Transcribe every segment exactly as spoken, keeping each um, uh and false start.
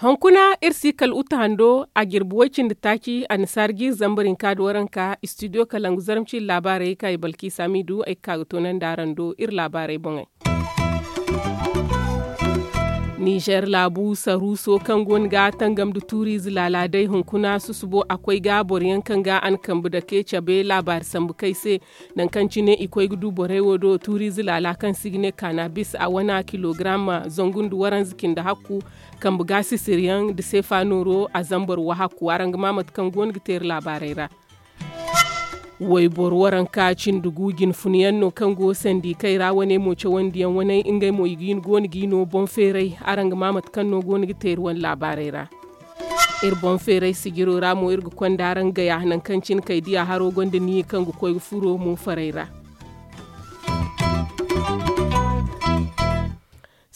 Hunkuna iri si kala uta hando a jirbi way-cindi taaci annasaara jiiri zambar hinka nda waranka istidiyo kalangu zarma ciiri laabaarey kaŋ ay balki saamiidu ay ga ka ga toonandi araŋ do iri laabaarey boŋey. Nizer laabu saruuso kaŋ go no ga tangam nda tuuriize laala day hunkuna susubo a koy ga boro yaŋ kaŋ ga a na kambe dake cabe laabaari sambu kay se. Nangu kaŋ cine i koy ga du borey wo do tuuriize laala kaŋ se i ga ne kaanabis a wana kilogaram zangu nda waranza cindi hakku. Kambe ga sisiryaŋ nda seefa nooro a zambar wahakku araŋ ga ma mate kaŋ go no ga teeri laabaarey ra. Wayboro waranka cindi gu jinfuna yaŋ no kaŋ go sandi kay ra wane mo cawandiyaŋ wane ngey mo i ga hin go no ga i no boŋ feeray. Araŋ ga ma mate kaŋ no go no ga teeri wane laabaarey ra. Iri boŋ feeray sijiro ra mo iri ga konda araŋ gaya nangu kaŋ cine kay diya haro gonda niya kaŋ ga koy ga furo mo faray ra.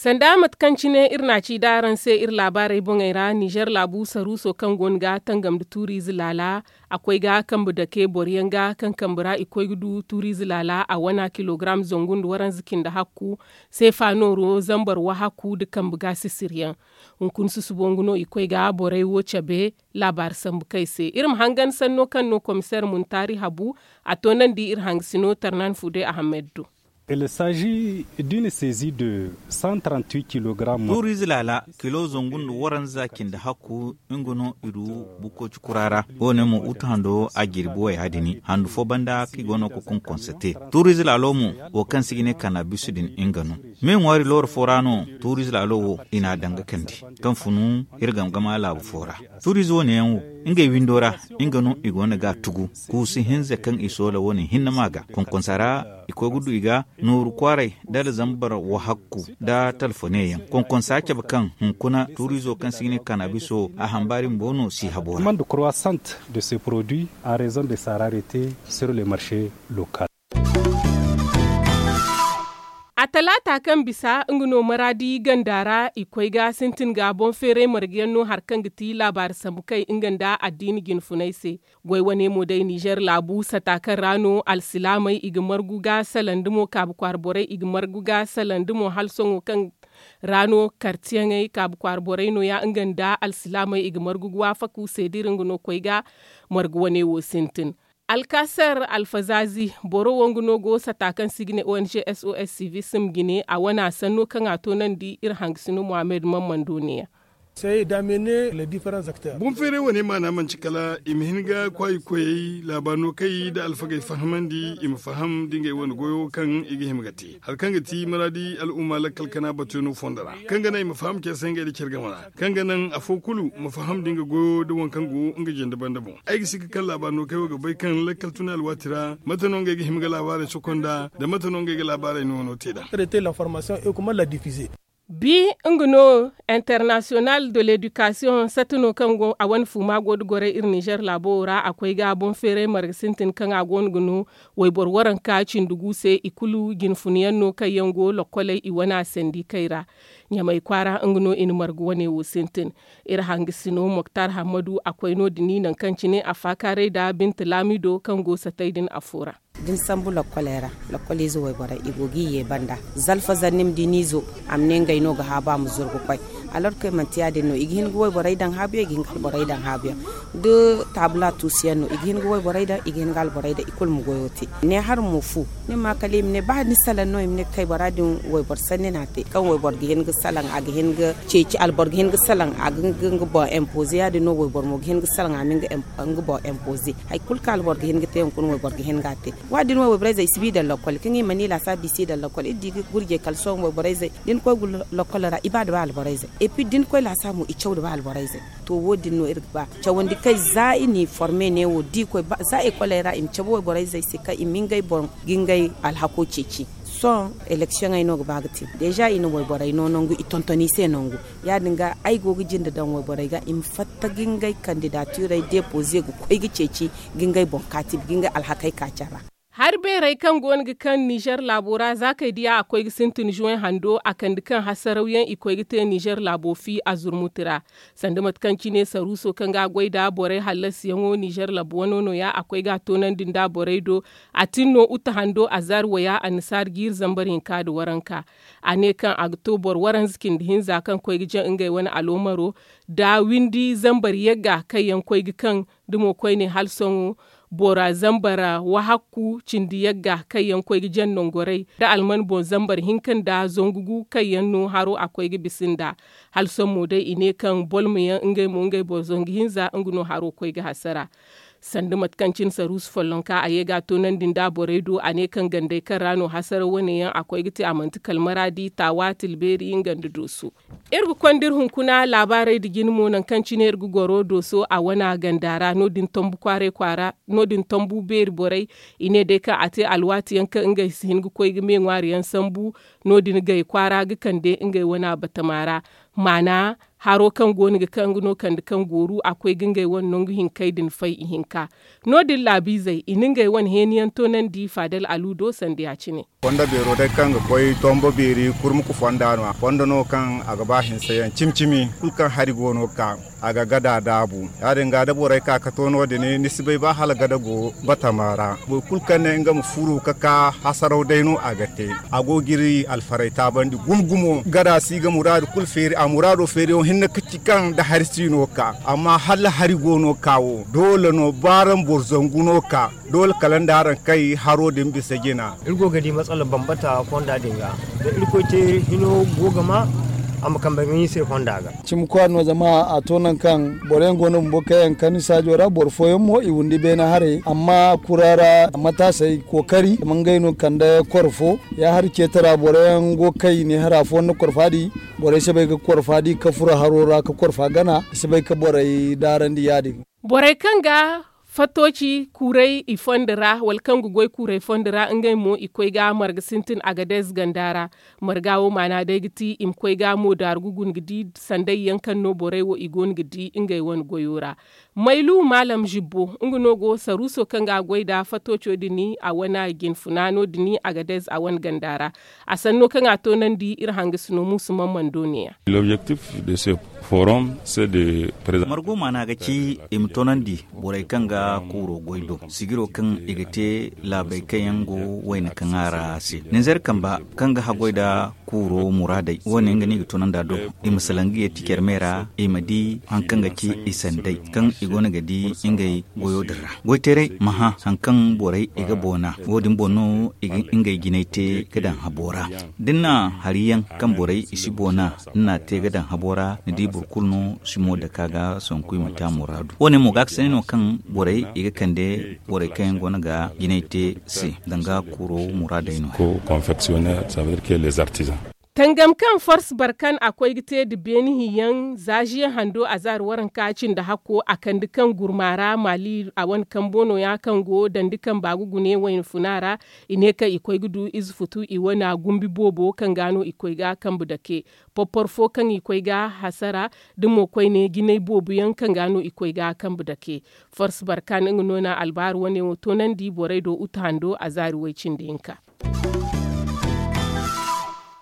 Sanda mate kaŋ cine iri na a ci da araŋ se iri laabaarey boŋey ra nizer laabu saruuso kaŋ go no ga tangam nda tuuriize laala. A koy ga kambe dake boro yaŋ ga kaŋ kambe ra i koy ga du tuuriize laala a wana kilogaram zangu nda waranza cindi hakku. Seefa nooro zambar wahakku nda kambe ga sisiryaŋ. Hunkuna susubo nga no i koy ga borey wo cabe. Laabaari sambu kay se iri ma hangan sanno kaŋ no komiseer muntaari habu. A toonandi iri hangasino tarnan fude ahamed do. Il s'agit d'une saisie de cent trente-huit kilogrammes. Tuuriize laala kilo zangu nda waranza cindi hakku. Nga no i du bukkoci kura ra. Wo- ne mo uta hando a jirbi waya din handu fo banda kaŋ i go no ga konkonse te. Tuuriize laalo mo wo kaŋ se i ga ne kaanabis din nga no. Me ŋwaari looro fo ra no tuuriize laalo wo i n'a daŋ ga kande kaŋ funu iri game-game laabu fo ra. Tuuriize wo- ne yaŋ wo ngey windo ra nga no i go no ga a tugu. Kuusu hinza kaŋ i soola wo- ne hinne ma ga konkonsa ra i koy ga du i ga nooru kwaaray nda alzambar wahakku nda talfone yaŋ konkonsa cabe kaŋ hunkuna tuuriizo kaŋ se i ga ne kaanabiso a hambaari bumbo no si habo ra. Demande croissante de ces produits en raison de sa rarete sur le marché local. A talaata kaŋ bisa nga no maraadi ganda ra i koy ga sintin ga boŋ feeray marga yaŋ no hari kaŋ ga ti laabaari sambu kay nga nda addiina jinfunay se. Goy wane mo day nizer laabu sata kaŋ ra no alsilaamey i ga margu ga salaŋ da mo kaabu kwaara borey i ga margu ga salaŋ da mo hala sohõ kaŋ ra no kartiyaŋey kaabu kwaara borey no- ya nga nda alsilaamey i ga margu ga waafaku se da iri nga no koy ga margu wane wo sintin. Alkasar alfazaazi boro wo nga no go sata kaŋ se i ga ne ong sos civisim jine a wana sanno kaŋ a toonandi iri hangasino muhammad mammando ne- ya. Boŋ feeray wane maana manti kala i ma hin ga kwaayi koyey laabaano kay nda alfagey fahamandi i ma faham da ngey wane goyo kaŋ i ga hima ga te hari kaŋ ga ti maraadi al'umma lakkal kana batuyaŋo fondo ra kaŋ ga naŋ i ma faham care se ngey nda care game ra kaŋ ga naŋ afo kulu ma faham da nga goyo nda waŋ kaŋ go nga jinde banda boŋ. Ay ga si ga kaŋ laabaano kay wo ga bay kaŋ lakkal tuna alwaati ra mate no ngey ga hima ga laabaarey sokonda nda mate no ngey ga laabaarey noono te nd'a. Bi nga no international de l'education sata no kaŋ go a wane fuuma go nda goray iri nizer laabo wo ra a koy ga boŋ feeray marga sintin kaŋ a go no ga no wayboro waranka cindi gu se i kulu jinfuna yaŋ no kaŋ yaŋ go lokkoley i wane a sandi kay ra. Ɲamay kwaara nga no i na marga wane wo sintin. Iri hangasino moktar hammadu a koy no- din nangu kaŋ cine a faakaaray nda binta laamido kaŋ go satay din afo ra. Da ni sambu lokkoley ra lokkol ize wayborey i go ga i ye banda zalfa zannim da i n'izo a ma ne ngey no ga haabu a ma zuru ga koy. Alorke manti ya- din no i ga hin ga wayborey daŋ haabuyaŋ i ga hin ga alborey daŋ haabuyaŋ da taabula tuusuyaŋ no i ga hin ga wayborey daŋ i ga hin ga alborey daŋ i kulu ma goyo te. Ne hari mo fu ni ma kala i ma ne ba ni salaŋ no i ma ne kay bora din wayboro sanni no a te kaŋ wayboro ga hin ga salaŋ a ga hin ga ceeci alboro ga hin ga salaŋ a ga hin ga nga boŋ impoze ya- din no wayboro mo ga hin ga salaŋ a ma nga boŋ impoze. Hari kulu kaŋ alboro ga hin ga te hunkuna wayboro ga hin ga a te. Wa- din wo wayborey zey i si bi daŋ lokkol kaŋ i mana i laasaabu i si daŋ lokkol iri di ga gurjey kala sohõ wayborey zey da ni koy lokkol ra i ba nda ba alborey zey. Et puis da ni koy laasaabu mo i caw nda ba alborey zey. To wo- din no iri ga ba cawandi kay za i n'i forme ne wo da i koy za ekoley ra i ma cabe wayborey zey se kaŋ i ma ngey boŋ ga ngey alhako ceeci. Sohõ eleksiyoŋey no ga ba ga te deeza i na wayborey no nangu i tonton i se nangu. Ya- din ga ay go ga jinde daŋ wayborey ga i ma fatta ga ngey kandidatirey depoze ga koy ga ceeci ga ngey boŋ kaati ga ngey alhakey kaaci a ra. Hari beerey kaŋ go no ga kaŋ nizer laabo ra za kay diya a koy ga sintin zuwey hando a kande kaŋ hasarawyaŋ i koy ga te nizer laabo fi a zurmuti ra. Sanda mate kaŋ cine saruuso kaŋ ga a goy nd'a borey hallasiyaŋo nizer laabo wano no- ya a koy ga a toonandi nd'a borey do. A tin no uta hando a zaari waya annasaari jiiri zambar hinka nda waranka. A ne kaŋ a ga to boro waranza cindi hinza kaŋ koy ga jaŋ ngey wane aloomaro nda windi zambar yagga kaŋ yaŋ koy ga kaŋ nda mo koyne hala sohõ bora zambar wahakku cindi yagga kaŋ yaŋ koy ga jaŋ nangorey nda alman boŋ zambar hinka nda zangu gu kaŋ yaŋ no haro a koy ga bisa nd'a. Hala sohõ mo day i ne kaŋ bolma yaŋ ngey mo ngey boro zangu hinza nga no haro koy ga hasara. Sanda mate kaŋ cine saruusu follonka a ye ga a toonandi nd'a borey do a ne kaŋ gandey kaŋ ra no hasaraw wane yaŋ a koy ga te a manti kala maraadi taawa tilbeeri nga nda dooso. Iri ga konda iri hunkuna laabaarey nda jine mo nangu kaŋ cine iri ga goro dooso a wana ganda ra no- din tombu kwaaray kwaara no- din tombu beeri borey. I ne day kaŋ a te alwaati yaŋ kaŋ ngey si hin ga koy ga me ŋwaari yaŋ sambu. No- din gay kwaara ga kande ngey wana batama ra. Maana haro kaŋ go no ga kaŋ ga no kande kaŋ gooru a koy ga ngey wane nangu hinkey din fay ihinka. No- din laabiizey i na ngey wane heeni yaŋ toonandi faadal alu do sanda ya- cine. Fondo beero day kaŋ ga koy tombo beeri kurmuku fonda no a fondo no kaŋ a ga ba hinse yaŋ cimi cimi kulu kaŋ hari go no ga ka a ga gada daabu. Ya- din ga da borey ka ga to no- din ni si bay ba hala gada go batama ra. Boro kulu kaŋ ne nga ma furu ga ka hasaraw day no a ga te. A go ga iri alfaray taabandi gumo gumo gada si ga muraadu kulu feeri a muraado feeriyaŋo hinne ga ci kaŋ nda hari si no ga ka amma hala hari go no ga ka wo doole no ba araŋ boro zangu no ga ka. Doole kala nda araŋ kay haro din bisa jina. Iri go ga di matsala bambata fonda din ga da irkoy te hino go ga ma a ma kambe ga ɲi se fonda ga. Cimi kwaara no zama a to nangu kaŋ boro yaŋ go no bumbo kaŋ yaŋ ga kani saajo ra boro fooyaŋ mo i windi beene haray amma kura ra mataasey kookari zama ngey no ga kande koro fo. Ya hari ceetara boro yaŋ go ga kay i ne hara fo nda korfa di borey si bay ga korfa di ka furo haro ra ka korfa gana i si bay ga borey daarandi ya- din. Borey kaŋ ga fatooci kuuray i fondo ra wala kaŋ ga goy kuuray fondo ra ngey mo i koy ga marga sintin agadez ganda ra. Marga wo maana day ga ti i ma koy ga mo daaru ga guna ga di sanday yaŋ kaŋ no borey wo i go no ga di ngey wane goyo ra. Maylu maalam zibbo nga no go saruuso kaŋ ga a goy nd'a fatooco din a wane jinfuna no- din agadez a wane ganda ra. A sanno kaŋ a toonandi iri hangasino muusu mammando ne- ya. Margo maana ga ci i ma toonandi borey kaŋ ga kuuro goy do sijiro kaŋ i ga te laabey kaŋ yaŋ go wayna kaŋ a ra se ninzeer kamba kaŋ ga haggoy nda kuuro muraadey wo- ne nga no i ga toonandi a do. I ma salaŋ ga yeeti care me ra i ma di hari kaŋ ga ci i sanday kaŋ i go no ga di ngey goyo din ra goyteeray ma hã hari kaŋ borey i ga boona wo- din boŋ no i ga ngey jinay te ga daŋ habo ra. Da ni na hari yaŋ kaŋ borey i si boona ni n'a te ga daŋ habo ra ni di boro kulu no si mo dake a ga sanku i ma te a muraadu wo- ne mo ga a ga sanni no kaŋ borey i ga kande borey kaŋ yaŋ go no ga jinay te se danga kuro muraadey no. Tangam kaŋ force barkan a koy ga te nda beeni hinyaŋ za ziye hando a zaari waranka cindi hakko a kande kaŋ gurma ra maali a wane kambo no- ya kaŋ go dandi kamba ga gune wayna funa ra. I ne kaŋ i koy ga du ize futu i wane gumbi boobo kaŋ ga no i koy ga kambe dake porpor fo kaŋ i koy ga hasara da mo koyne jinay boobo yaŋ kaŋ ga no i koy ga kambe dake. Force barkan nga no na albaaru wane wo toonandi borey do uta hando a zaari way- cindi hinka.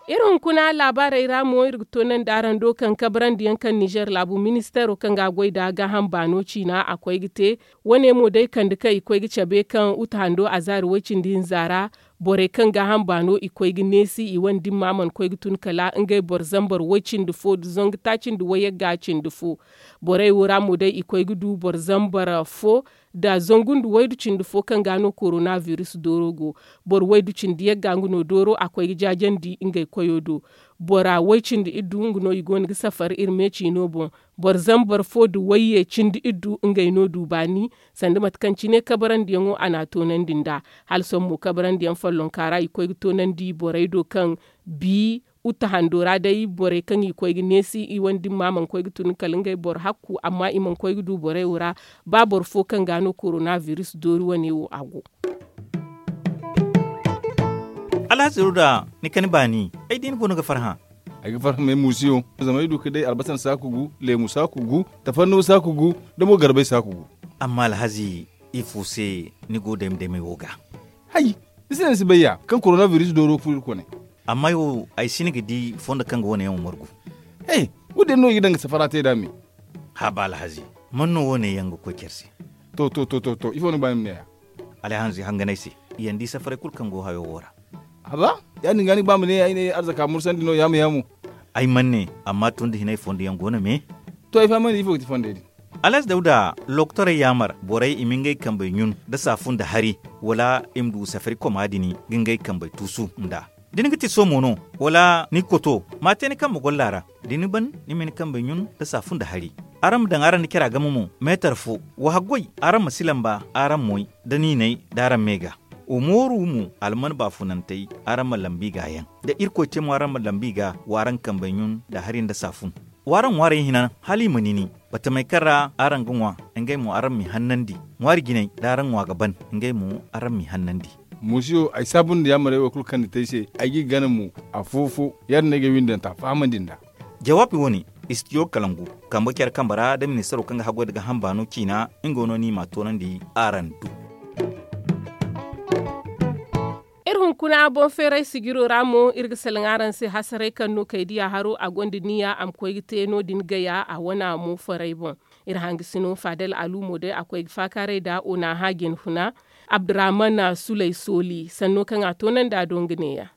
Iri hunkuna laabaarey ra mo iri ga toonandi araŋ do kaŋ kabrandi yaŋ kaŋ nizer laabu ministeero kaŋ ga a goy nda gaaham baano ciina a koy ga te. Wo- ne mo day kande kaŋ i koy ga cabe kaŋ uta hando a zaari way- cindi hinza ra. Borey kaŋ gaaham baano i koy ga neesi i wane dimma mana koy ga tun kala ngey boro zambar way- cindi fo nda zangu taaci nda wayagga cindi fo. Borey wo ra mo day i koy ga du boro zambar fo nda zangu nda waydu cindi fo kaŋ ga no korona biris dooro go. Boro waydu cindi yagga nga no dooro a koy ga jaajandi ngey koyo do. Bora way- cindi iddu nga no i go no ga safar iri me ciino boŋ. Boro zambar fo nda wayye cindi iddu ngey no du baani. Sanda mate kaŋ cine kabarandiyaŋo a n'a toonandi nd'a. Hala sohõ mo kabarandiyaŋ follonka ra i koy ga toonandi borey do kaŋ bi uta hando ra day borey kaŋ i koy ga neesi i wane dimma mana koy ga tun kala ngey boro hakku amma i mana koy ga du borey wo ra. Ba boro fo kaŋ ga no korona biris doori wane wo a go. Alhazi ruda ni kani baani ay di ni boŋ no ga farhã. Ay ga farhã m'ay muusiyo zama ay du ka day albasan saaku gu leemu saaku gu tafanno saaku gu da mo garbay saaku gu. Amma alhazi ifo se ni go dayma daymay wo ga? Hay, ni si ne ni si bay ya kaŋ korona biris dooro ga furo iri kone. Amma ay wo ay si ni ga di fondo kaŋ ga wane yaŋ wo margu. He, wo- din no i ga daŋ ga safara te nd'a me. Haba alhazi, man no wane yaŋ ga koy care se? To to to to to ifo ni ga ba ni ma ne ya? Alhazi hanganay se, i yaŋ di safaray kulu kaŋ go hayo wo ra. Haba, ya- din ga ni ga ba ma ne ay ne arzaka mursandi no yaamo yaamo. Ay mana ne, amma tun da hinay fondo yaŋ go no me. To ay fahamandi ifo ga ti fondey din? Alas dawda, lokotorey yaamar borey i ma ngey kambey ɲun nda saafu nda hari, wala i ma du safari koma din ga ngey kambey tuusu nd'a. Da ni ga ti soomo no, wala ni ga koto, ma a te ni kambe golla ra. Da ni ban, ni ma ni kambey ɲun nda saafu nda hari. Araŋ ma daŋ araŋ nda cara game mo, meetar fo. Wa haggoy, araŋ ma si lamba araŋ moy, da niinay da araŋ me ga. Wa mooru mo, alman baafunantey, araŋ ma lambi ga yaŋ. Da irkoy te mo araŋ ma lambi ga, wa araŋ kambey ɲun nda hari nda saafun. W'araŋ ŋwaarey hina, hala i ma nini. Batamey kaŋ ra araŋ ga ŋwa, ngey mo araŋ m'i hannandi. Ŋwaari jinay, da araŋ ŋwa ga ban, ngey mo araŋ m'i hannandi. Muusiyo, ay saabu nda yaamarey wo kulu kaŋ ni te ay se, ay g'i gana mo. Afo-fo, ya- din no ay ga ay windanta fahamandi nd'a. Jawaabi wo- ne, istidiyo kalangu, kambe care kambe ra da ministaro kaŋ ga haggoy nda gaaham baano ciina, nga no ni m'a toonandi araŋ do. Iri hunkuna boŋ feeray sijiro ra mo iri ga salaŋ araŋ se hasaray kaŋ no kay diya haro a gonda niya a ma koy ga te no- din gaya a wana mo faray boŋ. Iri hangasino fadal alumo day a koy ga faakaaray nda onaha jinfuna, abdurahman sulay sooli sanno kaŋ a toonandi a do nga neeya.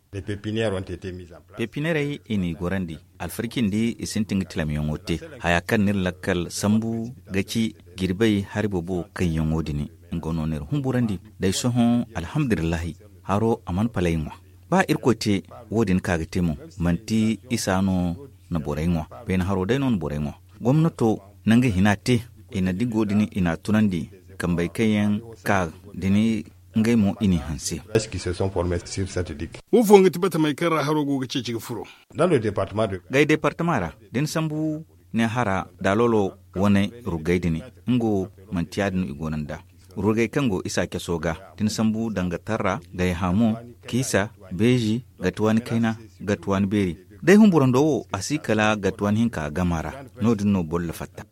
Pepiniyerey i n'i gorandi, alfarkindi i sintin ga tilamyaŋo te. Haya kaŋ n'iri lakkal sambu ga ci jirbey hari boobo kaŋyaŋo din. Nga no n'iri humburandi, day sohõ alhamdulillahi, haro a mana palay ŋwa. Ba irkoy te, wo- din ka ga te mo, manti isa no na borey ŋwa. Beene haro day no na borey ŋwa. Gomnato na nga hina te, i na digo din i n'a tunandi, kambey kaŋ yaŋ ka din, ngey mo i n'i hanse. Wo fooyaŋ ga ti batamey kaŋ ra haro go ga ceeci ga furo? Gay deepartama ra, da ni sambu ne hara daalolo wane ruggay din, nga wo manti ya- din no i go no nd'a. Ruggay kaŋ go isa caso ga, da ni sambu danga tarra, gay hamo, kiisa, beeji, gatuwaani kayna, gatuwaani beeri. Day humburando wo a si kala gatuwaani hinka gama ra. No- din no boro ga fatta.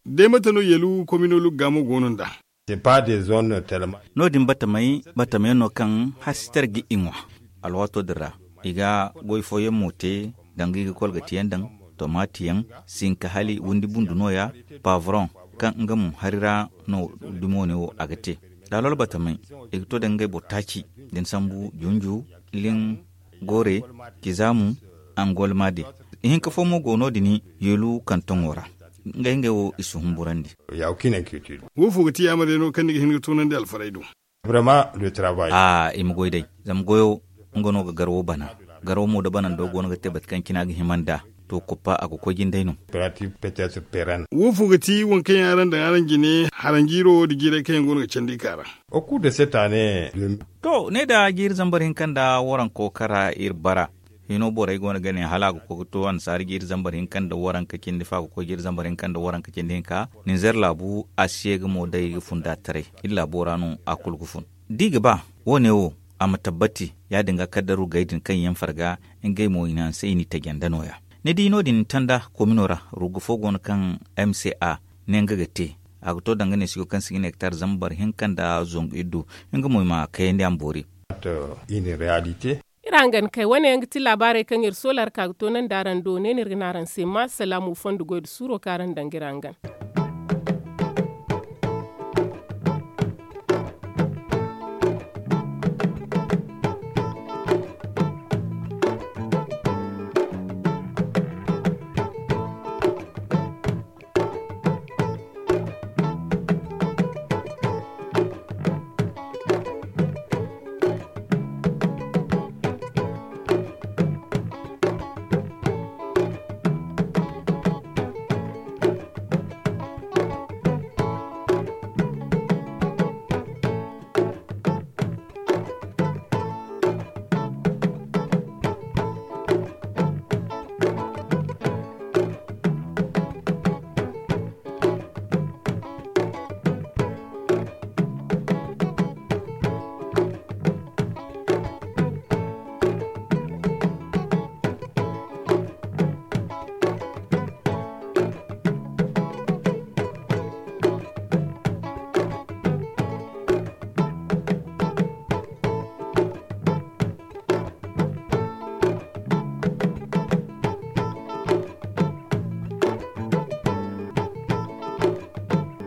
Day mate no yeelu komino lugga mo go no nd'a? No- din batamey, batamey no kaŋ hasitar ga i ŋwa. Alwaato din ra i ga goy fooyaŋ mo te, danga i ga kolgatiyaŋ daŋ, tomaatiyaŋ, sinka hala windi bundu nooya, paaburoŋ, kaŋ nga mo hari ra no dumo ne wo a ga te. Daalol batamey, i ga to da ngey boro taaci, da ni sambu junju, liŋ, goore, kizaamu, angolmaade. Ihinka fo mo go no- din yeelu kantoŋo ra. Ngey ngey wo i si humburandi. Wo fo ga ti yaamar yaŋo kaŋ ni ga hin ga toonandi alfaray do? A i ma goy day, zama goyo, nga no ga garwo bana. Garwo mo da banando go no ga te bate kaŋ cine a ga hima nd'a, to koppa a ga koy jindey no. Wo fo ga ti waŋ kaŋ yaŋ araŋ daŋ araŋ jine haranjiiro wo nda jiirey kaŋ yaŋ go no ga candi ka ra? To ne da jiiri zambar hinka nda waranko kara iri bara. Hino borey go no ga ne hala a ga koy ga to annasaari jiiri zambar hinka nda waranka cindi fo a ga koy jiiri zambar hinka nda waranka cindi hinka. Ninzeer laabu a si ye ga mo day ga fun da taray. Iri laabo ra no a kulu ga fun. Da i ga ba wo- ne wo a ma tabbati, ya- din ga kaddaru gay din kaŋ yaŋ farga, ngey mo i na hanse i n'i taji nda nooya. Ni di no- din tanda komino ra, rugga fo go no kaŋ m c a ne nga ga te. A ga to danga neesigo kaŋ si ga ne hektar zambar hinka nda zangu iddu. Nga mo i ma kayandi a ma boori. Iri hangan kay wane yaŋ ga ti laabaarey kaŋ iri soola ra ka ga toonandi araŋ do ne no iri ga ne araŋ se ma salaamu fondo goy nda suuro kaŋ araŋ daŋ ga iri hangan.